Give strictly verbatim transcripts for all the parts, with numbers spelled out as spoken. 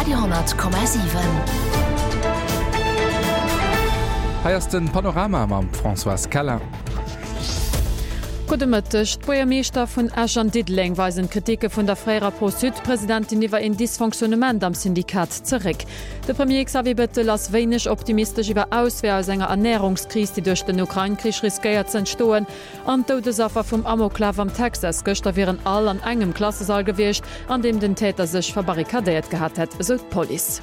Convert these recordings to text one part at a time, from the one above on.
Radio honnert Komma siwen. Hei ass den Panorama mam Françoise Keller. Gudde Mëtteg. D'Buergermeeschter vun Esch an Diddeleng weisen d'Kritike vun der fréierer Pro-Sud-Presidentin iwwer een Dysfonctionnement am Syndikat zeréck. De Premier Xavier Bettel ass wéineg optimistesch iwwer Ausweeër aus enger Ernärungskris, déi duerch den Ukrain-Krich riskéiert ze entstoen. An d'Doudesaffer vum Amoklaf am Texas gëschter wieren all an engem Klassesall gewiescht, an deem den Täter sech verbarrikadéiert gehat hätt, esou d'Police.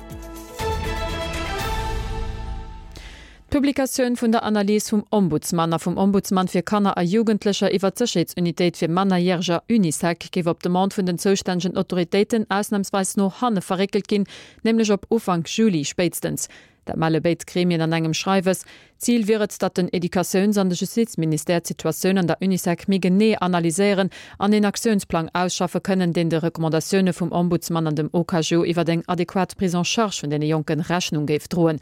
D'Publikatioun vun der Analys vum Ombudsman a vum Ombudsman fir Kanner a Jugendlecher iwwer d'Sécherheetsunitéit fir Mannerjäreger, Unisec, géif op Demande vun den zoustännegen Autoritéiten ausnamsweis no hanne verréckelt ginn, nämlech op Ufank Juli spéitstens. Dat melle béid Gremien an engem Schreiwes. Zil wier et, datt den Educatiouns an de Justizministère d'Situatioun an der Unisec méi genee analyséieren an een Aktiounsplang ausschaffe kënnen, deen de Recommandatioune vum Ombudsman an dem O K J iwwer eng adequat Prise en charge vun deene Jonken Rechnung géif droen.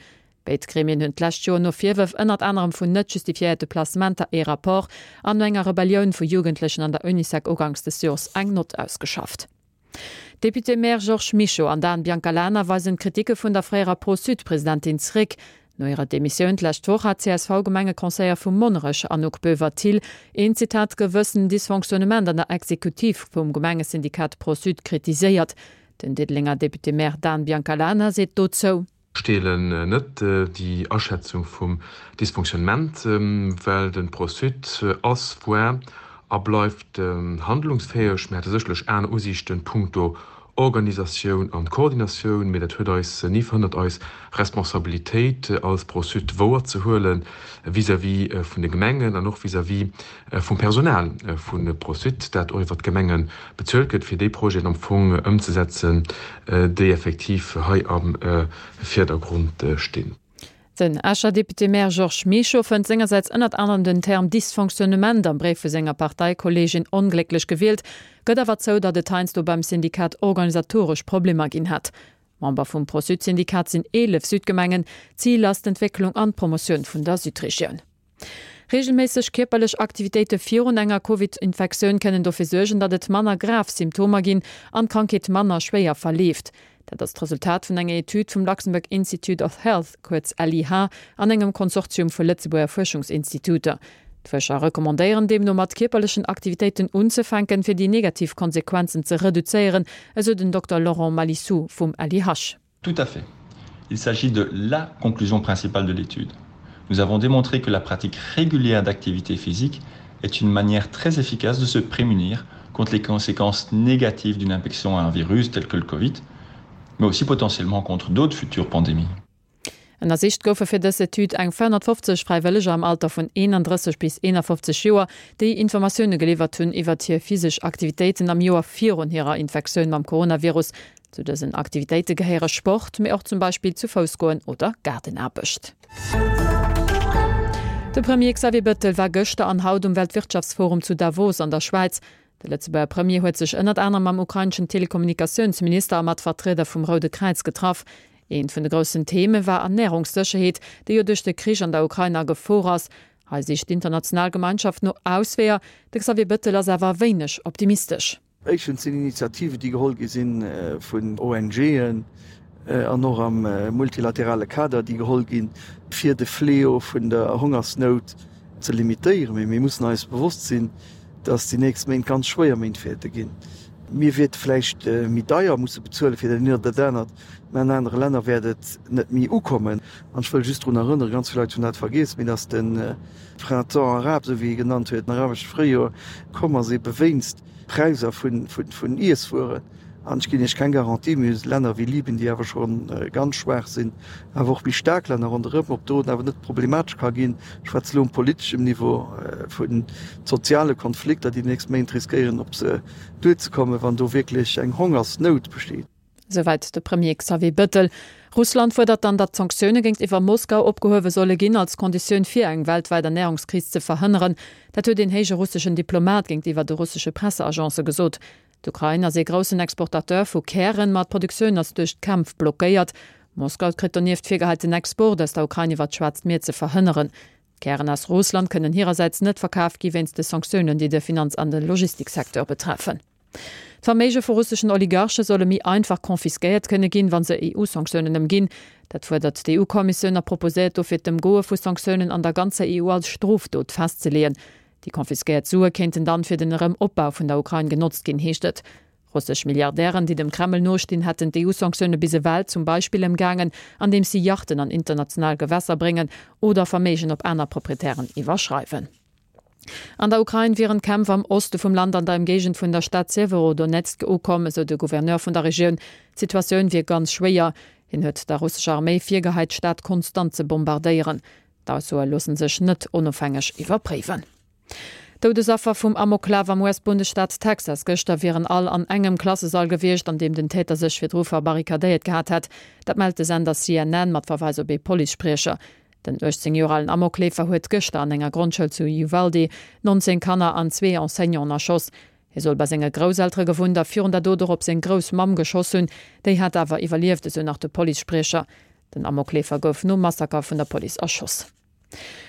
Béid Gremien hunn d'lescht Joer no Virwërf ënnert anerem vun net justifiéierte Placementer ee Rapport an no enger Rebellioun vu Jugendlechen an der Unisec uganks des Joers eng Nott ausgeschafft. D'Député-maire Georges Mischo an Dan Biancalana weisen d'Kritike vun der fréierer Pro-Sud-Presidentin zeréck. No hirer Demissioun d'lescht Woch hat d'C S V-Gemengeconseillère vu Monnerech, Anouk Boever-Thill, een, Zitat, gewëssen Dysfonctionnement an der Exekutiv vum Gemengesyndikat Pro-Sud kritiséiert. Den Diddelenger Député-maire Dan Biancalana seet dozou. Ech deelen net déi Aschätzung vum Dysfonctionnement, well de Pro-Sud ass, war a bleift handlungsfäeg. Mir hate sécherlech aner Usiichten punkto Organisatioun an Koordinatioun, mee dat huet eis ni verhënnert, eis Responsabilitéit als Pro-Sud wouerzehuelen vis-à-vis vun de Gemengen an och vis-à-vis vum Personal vu Pro-Sud, dat och iwwert d'Gemenge bezuelt gëtt, fir déi Projeten am Fong ëmzesetzen, déi effektiv hei am Virdergrond stinn. Den Escher Député-maire Georges Mischo fënnt sengersäits ënnert anerem den Term Dysfonctionnement am Bréif vu senger Parteikolleegin onglécklech gewielt, gëtt awer zou, datt et heiansdo beim Syndikat organisatoresch Problemer ginn hätt. Member vum Pro-Sud-Syndikat sinn eelef Südgemengen. Zil ass d'Entwécklung an d'Promotioun vun der Südregioun. Reegelméisseg kierperlech Aktivitéite virun enger Covid-Infektioun kënnen dofir suergen, datt et manner grav Symptomer ginn an d'Krankheet manner schwéier verleeft. Dat ass d'Resultat vun enger Etüd vum Luxembourg Institute of Health, kuerz L I H, an engem Konsortium vu Lëtzebuerger Fuerschungsinstituter. D'Fuerscher recommandéieren deemno mat kierperlechen Aktivitéiten unzefänken, fir déi negativ Konsequenzen ze reduzéieren, esou den Dokter Laurent Malissou vum L I H. Tout à fait. Il s'agit de la conclusion principale de l'étude. Nous avons démontré que la pratique régulière d'activité physique est une manière très efficace de se prémunir contre les conséquences négatives d'une infection à un virus tel que le Covid, mais aussi potentiellement contre d'autres futures pandémies. Ënnersicht goufe fir dës Etüd eng véierhonnertfofzeg Fräiwëlleger am Alter vun eenandrësseg bis eenafofzeg Joer, déi Informatioune geliwwert hunn iwwert hir physesch Aktivitéiten am Joer virun hirer Infektioun mam Coronavirus. Zu dësen Aktivitéite gehéiere Sport, mee och zum Beispill zu Fouss goen oder Gaardenaarbecht. De Premier Xavier Bettel war gëschter an haut um Weltwirtschaftsforum zu Davos an der Schwäiz. De Lëtzebuerger Premier huet sech ënnert anerem mam ukraineschen Telekommunikatiounsminister a mat Vertrieder vum Roude Kräiz getraff. Eent vun de groussen Theme war Ernärungssécherheet, déi jo duerch de Krich an der Ukrain a Gefor ass. Hei sicht d'international Gemeinschaft no Ausweeër. De Xavier Bettel ass awer wéineg optimistesch. Éischtens sinn Initiativen, déi geholl gi sinn vun O N G'en an och am multilaterale Kader, déi geholl ginn, fir de Fléau vun der Hongersnout ze limitéieren. Mee mir mussen eis bewosst sinn, dass déi nächst Méint ganz schwéier Méint wäerte ginn. Mir wäerte vläicht méi deier musse bezuele fir dat eent oder dat anert, mä an anere Länner wäert et net méi ukommen. An ech wëll just drun erënneren, ganz vill Leit hunn dat vergiess, mee dass de Printemps arabe, esou wéi e genannt huet, den arabesche Fréijoer, komm ass ebe wéinst Präisser vun Iesswueren. An ech ginn Iech keng Garantie, mee Länner wéi Libyen, déi awer scho ganz schwaach sinn, awer och méi staark Länner ronderëm, ob do et awer net problematesch ka ginn, ech schwätze elo um politeschem Niveau, vu soziale Konflikter, déi déi nächst Méint riskéieren op se duerzekommen, wann do wierklech eng Hongersnout besteet. Souwäit de Premier Xavier Bettel. Russland fuerdert dann, datt d'Sanktioune géintiwwer Moskau opgehuewe solle ginn, als Konditioun fir eng weltwäit Ernärungskris ze verhënneren. Dat huet een héije russeschen Diplomat géintiwwer de russesche Presseagence gesot. D'Ukrain ass ee groussen Exportateur vu Kären, ma d'Produktioun ass duerch d'Kämpf blockéiert. Moskau kritt donieft virgehäit, den Export aus der Ukrain iwwer d'Schwaarzt Mier ze verhënneren. Kären aus Russland kënnen hirersäits net verkaf gi wéinst de Sanktiounen, déi de Finanz an de Logistiksecteur betreffen. D'Verméige vu russeschen Oligarche solle méi einfach confisquéiert kënne ginn, wa se EU-Sanktiounen ëmginn. Dat fuerdert d'EU-Kommissioun a proposéiert dofir d'Ëmgoe vu Sanktiounen an der ganzer EU als Strofdot festzeleeën. Déi confisquéiert Sue kéinten dann fir den Erëm-Opbau vun der Ukrain genotzt ginn, heescht et. Russesch Milliardären, déi dem Kreml nostinn, hätten d'EU-Sanktioune bis ewell zum Beispill ëmgaangen, andeems si Yachten an international Gewässer bréngen oder Verméigen op aner Proprietären iwwerschreiwen. An der Ukrain wieren d'Kämpf am Oste vum Land an der Ëmgéigend vun der Stad Sewerodonezk ukomm, esou de Gouverneur vun der Regioun. D'Situatioun wier ganz schwéier. Hien huet der russescher Arméi virgeheit, d'Stad konstant ze bombardéieren. D'Aussoe loosse sech net onofhängeg iwwerpréiwen. D'Doudesaffer vum Amoklaf am US-Bundesstaat Texas gëschter wieren all an engem Klassesall gewiescht, an deem den Täter sech virdru verbarrikadéiert gehat hätt. Dat mellt de Sender C N N mat Verweis op ee Policespriecher. Den uechtzéng Joer alen Amokleefer huet gëschter an enger Grondschoul zu Uvalde nonzéng Kanner an zwee Enseignanten erschoss. Hie soll bei senge Grousseltere gewunnt a virun der Dot och op seng Groussmamm geschoss hunn. Déi hat awer iwwerlieft, esou nach de Policespriecher. Den Amokleefer gouf nom Massaker vun der Police erschoss.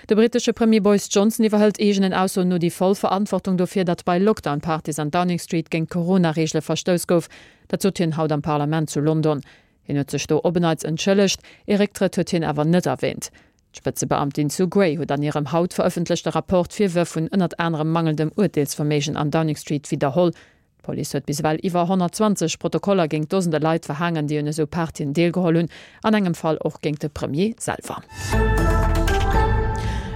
De brittesche Premier Boris Johnson iwwerhëlt eegenen Aussoen no déi voll Verantwortung dofir, datt bei Lockdown-Partys an Downing Street géint d'Corona-Reegele verstouss gouf. Dat sot hien haut am Parlament zu London. Hien huet sech do op en Neits entschëllegt, ee Récktrëtt huet hien awer net erwäänt. D'Spëtzebeamtin Sue Gray huet an hirem haut verëffentlechte Rapport Virwërf vun ënnert anerem mangelndem Urteelsverméigen an Downing Street widderholl. D'Police huet bis ewell iwwer honnertzwanzeg Protokoller géint Dosende Leit verhaangen, déi un esou Partyen deelgeholl hunn, an engem Fall och géint de Premier selwer.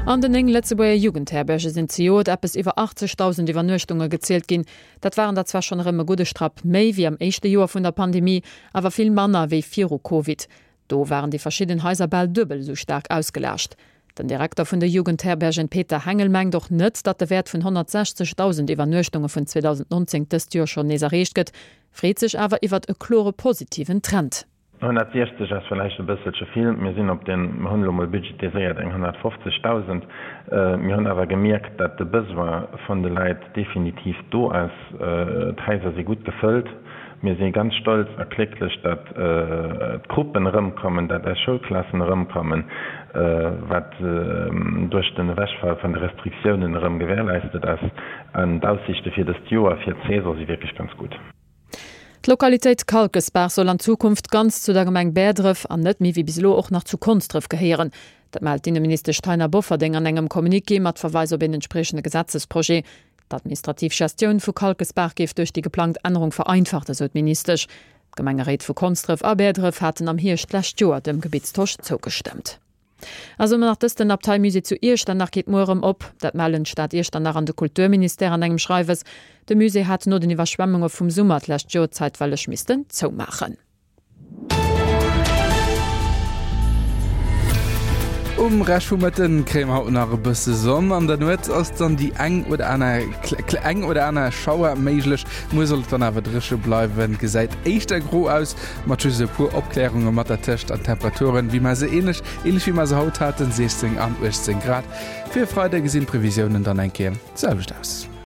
An den néng Lëtzebuerger Jugendherberge sinn zejoert eppes iwwer achtzegdausend Iwwernuechtunge gezielt ginn. Dat waren der zwar schonn erëm e gudde Strapp méi wéi am éischte Joer vun der Pandemie, awer vill manner wéi viru Covid. Do waren déi verschidden Haiser bal duebel esou staark ausgelaascht. Den Direkter vun de Jugendherbergen Peter Hengel mengt och net, datt de Wäert vun honnertsechzegdausend Iwwernuechtunge vun zweedausendnonzéng dëst Joer schonn nees erreecht gëtt, freet sech awer iwwert e klore positiven Trend. Honnertsiechzeg ass vläicht e bësselche vill. Mir sinn op den, mir hunn elo mol budgetiséiert eng honnertfofzegdausend. Mir hunn awer gemierkt, datt de Besoin vun de Leit definitiv do ass. D'Haiser si gutt gefëllt. Mir si ganz stolz a glécklech, datt d'Gruppen erëmkommen, datt eis Schoulklassen erëmkommen, wat duerch den Ewechfall vun de Restriktiounen erëm gewährleistet ass. An d'Aussiichte fir dëst Joer, fir d'Saison, si wierklech ganz gutt. D'Lokalitéit Kalkesbaach soll an Zukunft ganz zu der Gemeng Bäerdref an net méi wéi bis elo och nach zu Konsdref gehéieren. Dat mellt d'Inneministesch Taina Bofferding an engem Communiqué mat Verweis op een entspriechende Gesetzesprojet. D'administrativ Gestioun vu Kalkesbaach géif duerch déi geplangt Ännerung vereinfacht, esou d'Ministesch. D'Gemengeréit vu Konsdref a Bäerdref haten am Hierscht d'lescht Joer dem Gebittstosch zougestëmmt. A soe mer nach dëst, Den Abteimusée zu Iechternach geet muer erëm op. Dat mellen d'Stad Iechternach an de Kulturministère an engem Schreiwes. De Musée hat no den Iwwerschwemmunge vum Summer d'lescht Joer zäitweileg missten zoumaachen. Um Rescht vum Mëtten kréie mer haut nach e bësse Sonn. An der Nuet ass dann déi eng oder aner eng oder aner Schauer méiglech. Muer soll et dann awer dréche bleiwen, gesäit éischter gro aus, mat just e puer Opklärunge mat der Tëscht an Temperaturen, wéi mer se ähnlech ähnlech wéi mer se haut haten, siechzéng an uechtzéng Grad. Fir e Freide gesinn d'Previsiounen dann eng Kéier d'selwecht aus.